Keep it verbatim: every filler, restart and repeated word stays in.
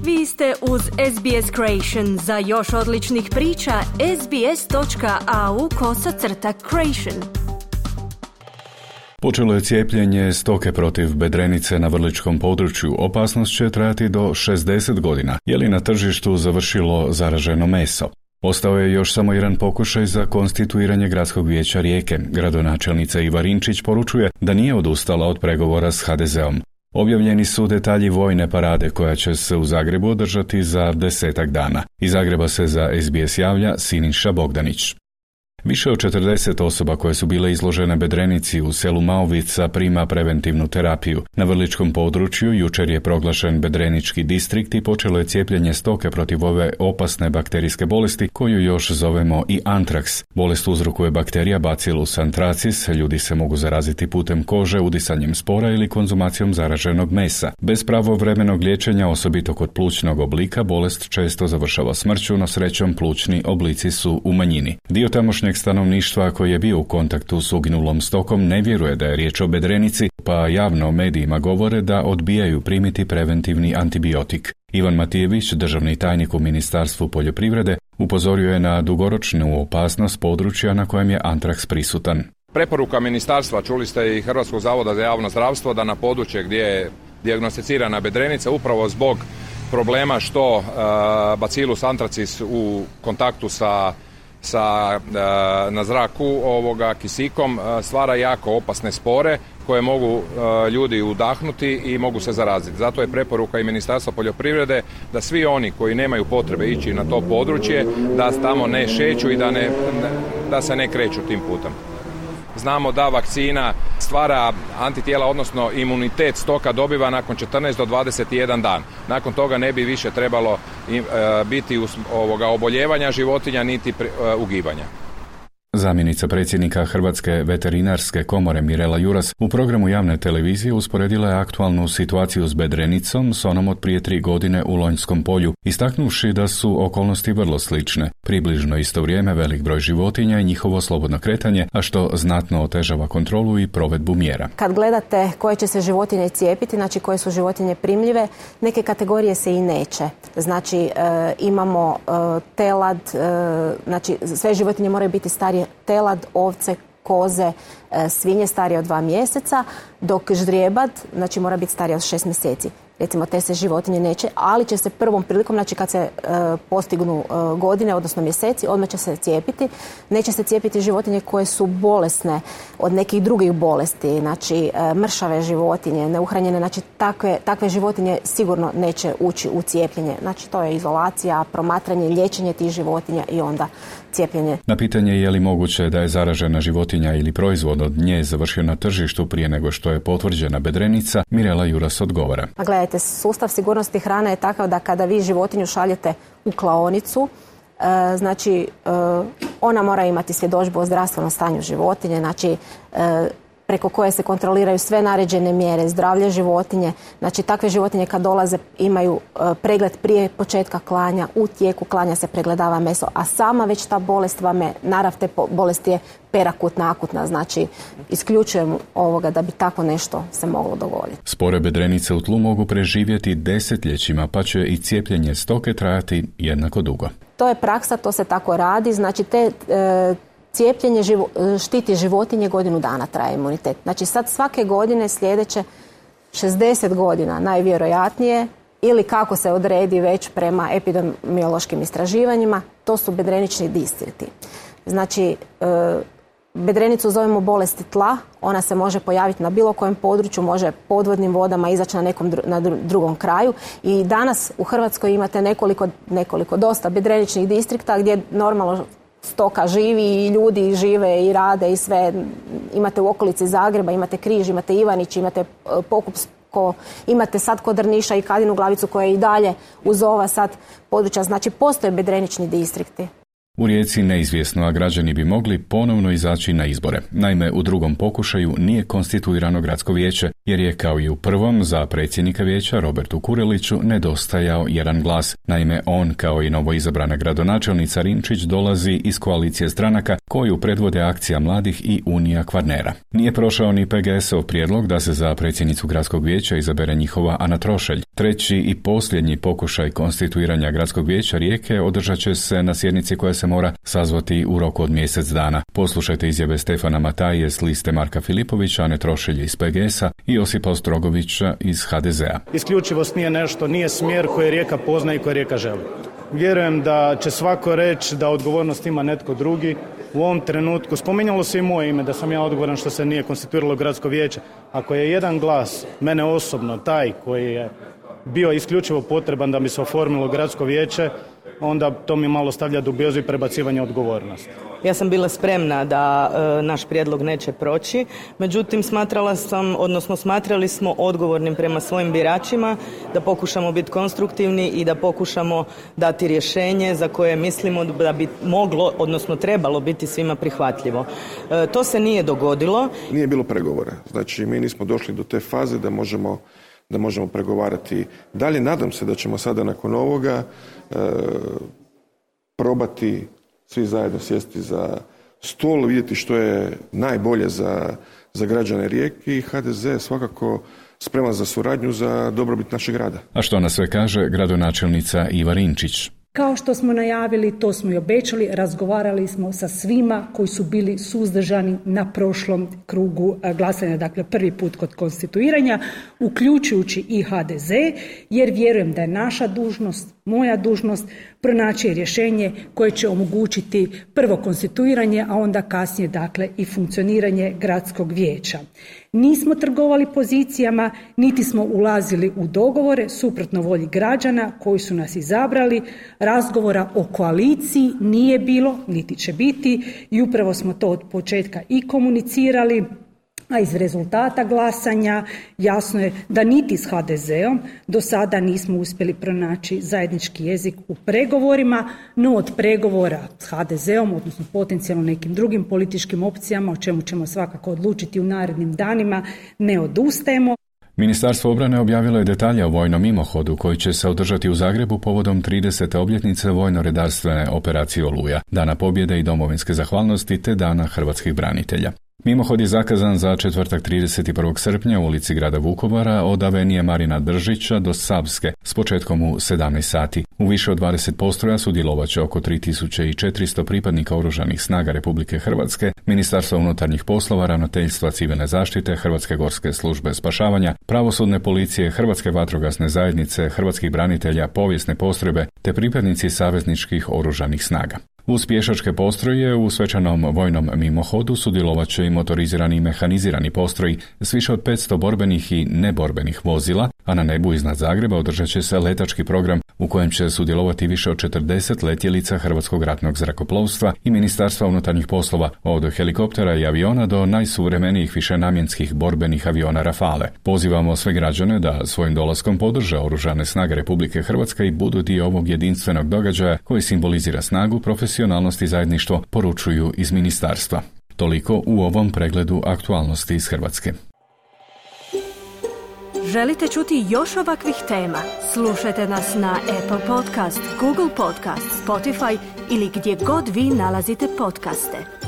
Vi ste uz S B S Creation. Za još odličnih priča, sbs.au kosacrta creation. Počelo je cijepljenje stoke protiv bedrenice na vrličkom području. Opasnost će trajati do šezdeset godina. Je li na tržištu završilo zaraženo meso? Ostao je još samo jedan pokušaj za konstituiranje gradskog vijeća Rijeke. Gradonačelnica Iva Rinčić poručuje da nije odustala od pregovora s ha de zeom. Objavljeni su detalji vojne parade koja će se u Zagrebu održati za desetak dana. Iz Zagreba se za S B S javlja Siniša Bogdanić. Više od četrdeset osoba koje su bile izložene bedrenici u selu Maovica prima preventivnu terapiju. Na vrličkom području jučer je proglašen bedrenički distrikt i počelo je cijepljenje stoke protiv ove opasne bakterijske bolesti koju još zovemo i antraks. Bolest uzrokuje bakterija Bacillus anthracis, ljudi se mogu zaraziti putem kože, udisanjem spora ili konzumacijom zaraženog mesa. Bez pravovremenog liječenja, osobito kod plućnog oblika, bolest često završava smrću, no srećom plućni oblici su u manjini. Dio tamošnje stanovništva koji je bio u kontaktu s uginulom stokom ne vjeruje da je riječ o bedrenici, pa javno medijima govore da odbijaju primiti preventivni antibiotik. Ivan Matijević, državni tajnik u Ministarstvu poljoprivrede, upozorio je na dugoročnu opasnost područja na kojem je antraks prisutan. Preporuka ministarstva, čuli ste i Hrvatskog zavoda za javno zdravstvo, da na područje gdje je dijagnosticirana bedrenica upravo zbog problema što uh, Bacillus anthracis u kontaktu sa sa na zraku ovoga kisikom stvara jako opasne spore koje mogu ljudi udahnuti i mogu se zaraziti. Zato je preporuka i Ministarstva poljoprivrede da svi oni koji nemaju potrebe ići na to područje, da tamo ne šeću i da, ne, da se ne kreću tim putem. Znamo da vakcina stvara antitijela, odnosno imunitet stoka dobiva nakon četrnaest do dvadeset jedan dan. Nakon toga ne bi više trebalo biti ovoga oboljevanja životinja niti ugibanja. Zamjenica predsjednika Hrvatske veterinarske komore Mirela Juras u programu javne televizije usporedila je aktualnu situaciju s bedrenicom s onom od prije tri godine u Lonjskom polju, istaknuvši da su okolnosti vrlo slične. Približno isto vrijeme velik broj životinja i njihovo slobodno kretanje, a što znatno otežava kontrolu i provedbu mjera. Kad gledate koje će se životinje cijepiti, znači koje su životinje primljive, neke kategorije se i neće. Znači e, imamo e, telad, e, znači sve životinje moraju biti starije, telad, ovce, koze, e, svinje starije od dva mjeseca, dok ždrijebad, znači mora biti starije od šest mjeseci. Recimo, te se životinje neće, ali će se prvom prilikom, znači kad se e, postignu e, godine, odnosno mjeseci, odmah će se cijepiti. Neće se cijepiti životinje koje su bolesne od nekih drugih bolesti, znači e, mršave životinje, neuhranjene, znači takve, takve životinje sigurno neće ući u cijepljenje. Znači to je izolacija, promatranje, liječenje tih životinja i onda cijepljenje. Na pitanje je li moguće da je zaražena životinja ili proizvod od nje završio na tržištu prije nego što je potvrđena bedrenica, Mirela Juras odgovara. A gledajte, sustav sigurnosti hrane je takav da kada vi životinju šaljete u klaonicu, e, znači e, ona mora imati svjedodžbu o zdravstvenom stanju životinje, znači e, preko koje se kontroliraju sve naređene mjere, zdravlje životinje. Znači takve životinje kad dolaze imaju e, pregled prije početka klanja, u tijeku klanja se pregledava meso, a sama već ta bolest vam je, narav te bolesti je perakutna, akutna, znači isključujem ovoga da bi tako nešto se moglo dogoditi. Spore bedrenice u tlu mogu preživjeti desetljećima, pa će i cijepljenje stoke trajati jednako dugo. To je praksa, to se tako radi, znači te e, cijepljenje živo, štiti životinje, godinu dana traje imunitet. Znači sad svake godine sljedeće šezdeset godina najvjerojatnije, ili kako se odredi već prema epidemiološkim istraživanjima, to su bedrenični distrikti. Znači e, bedrenicu zovemo bolesti tla, ona se može pojaviti na bilo kojem području, može podvodnim vodama izaći na nekom dru, na drugom kraju i danas u Hrvatskoj imate nekoliko, nekoliko dosta bedreničnih distrikta gdje normalno stoka živi i ljudi žive i rade i sve. Imate u okolici Zagreba, imate Križ, imate Ivanić, imate Pokupsko, imate sad kod Drniša i Kadinu Glavicu koja je i dalje uz ova sad područja. Znači postoje bedrenični distrikti. U Rijeci neizvjesno, a građani bi mogli ponovno izaći na izbore. Naime, u drugom pokušaju nije konstituirano gradsko vijeće, jer je kao i u prvom za predsjednika vijeća Robertu Kureliću nedostajao jedan glas. Naime, on kao i novoizabrana gradonačelnica Rinčić dolazi iz koalicije stranaka koju predvode Akcija mladih i Unija Kvarnera. Nije prošao ni P G S-ov prijedlog da se za predsjednicu gradskog vijeća izabere njihova Ana Trošelj. Treći i posljednji pokušaj konstituiranja gradskog vijeća Rijeke održat će se na sjednici koja se mora sazvati u roku od mjesec dana. Poslušajte izjave Stefana Mataje s liste Marka Filipovića, Ane Trošelje iz P G S-a i Josipa Ostrogovića iz H D Z-a. Isključivost nije nešto, nije smjer koji Rijeka pozna i koji Rijeka želi. Vjerujem da će svako reći da odgovornost ima netko drugi. U ovom trenutku, spominjalo se i moje ime da sam ja odgovoran što se nije konstituiralo gradsko vijeće. Ako je jedan glas, mene osobno, taj koji je bio isključivo potreban da bi se oformilo gradsko vijeće, onda to mi malo stavlja dubiozu i prebacivanje odgovornosti. Ja sam bila spremna da e, naš prijedlog neće proći, međutim smatrala sam, odnosno smatrali smo odgovornim prema svojim biračima da pokušamo biti konstruktivni i da pokušamo dati rješenje za koje mislimo da bi moglo, odnosno trebalo biti svima prihvatljivo. E, to se nije dogodilo. Nije bilo pregovora, znači mi nismo došli do te faze da možemo da možemo pregovarati dalje. Nadam se da ćemo sada nakon ovoga e, probati svi zajedno sjesti za stol, vidjeti što je najbolje za, za građane Rijeke i H D Z svakako spreman za suradnju za dobrobit našeg grada. A što nas sve kaže gradonačelnica Iva Rinčić? Kao što smo najavili, to smo i obećali, razgovarali smo sa svima koji su bili suzdržani na prošlom krugu glasanja, dakle prvi put kod konstituiranja, uključujući i H D Z, jer vjerujem da je naša dužnost, moja dužnost, pronaći rješenje koje će omogućiti prvo konstituiranje, a onda kasnije dakle i funkcioniranje gradskog vijeća. Nismo trgovali pozicijama, niti smo ulazili u dogovore suprotno volji građana koji su nas izabrali. Razgovora o koaliciji nije bilo, niti će biti i upravo smo to od početka i komunicirali, a iz rezultata glasanja jasno je da niti s H D Z-om do sada nismo uspjeli pronaći zajednički jezik u pregovorima, no od pregovora s H D Z-om, odnosno potencijalno nekim drugim političkim opcijama, o čemu ćemo svakako odlučiti u narednim danima, ne odustajemo. Ministarstvo obrane objavilo je detalje o vojnom mimohodu koji će se održati u Zagrebu povodom tridesete obljetnice vojno-redarstvene operacije Oluja, Dana pobjede i domovinske zahvalnosti te Dana hrvatskih branitelja. Mimohod je zakazan za četvrtak trideset prvog srpnja u ulici grada Vukovara od avenije Marina Držića do Savske s početkom u sedamnaest sati. U više od dvadeset postroja sudjelovat će oko tri tisuće četiristo pripadnika Oružanih snaga Republike Hrvatske, Ministarstva unutarnjih poslova, Ravnateljstva civilne zaštite, Hrvatske gorske službe spašavanja, Pravosudne policije, Hrvatske vatrogasne zajednice, Hrvatskih branitelja, povijesne postrojbe te pripadnici savezničkih oružanih snaga. Uz pješačke postroje u svečanom vojnom mimohodu sudjelovat će i motorizirani i mehanizirani postroji s više od petsto borbenih i neborbenih vozila, a na nebu iznad Zagreba održat će se letački program u kojem će sudjelovati više od četrdeset letjelica Hrvatskog ratnog zrakoplovstva i Ministarstva unutarnjih poslova, od helikoptera i aviona do najsuvremenijih višenamjenskih borbenih aviona Rafale. Pozivamo sve građane da svojim dolaskom podrže Oružane snage Republike Hrvatske i budu dio ovog jedinstvenog događaja koji simbolizira snagu, profesionalnost i zajedništvo, poručuju iz ministarstva. Toliko u ovom pregledu aktualnosti iz Hrvatske. Želite čuti još ovakvih tema? Slušajte nas na Apple Podcast, Google Podcast, Spotify ili gdje god vi nalazite podcaste.